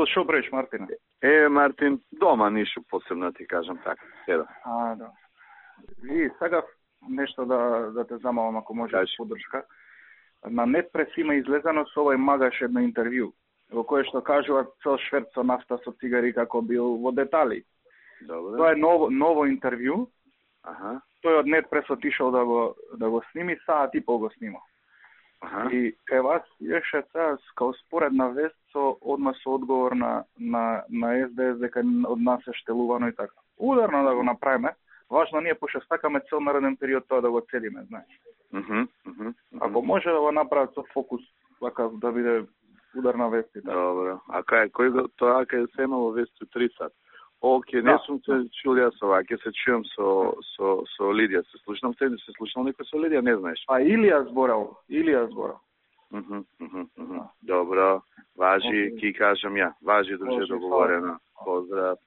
Шо бреш, Мартине? Мартин, дома нишу посебно ти кажам така. Седам. Да. Ви сакав нешто да те замалам ако може поддршка. На Нетпрес има излезано со овој Магаш едно интервју во кое што кажува цел шверц со нафта со цигари како бил во детали. Добре. Тоа е ново интервју. Тој од Нетпрес отишол да го сними, саат и пол го снима. И кај вас еше сега као споредна вест со одговор на СДС дека од нас е штелувано и така. Ударно да го направиме. Важно ние пошто сакаме цел нареден период тоа да го цедиме, знаеш. Ако може да го направат со фокус, така да биде ударна вест и така. Добро. А кој тоа кај се имало вест 3 сат? Оке, не сум се чул јас ова, ќе се чујам со Лидија. Се слушнам некој со Лидија, не знаеш. Илија зборал. Добро, важи, ки кажам ја. Важи, друже, договорено. Поздрав.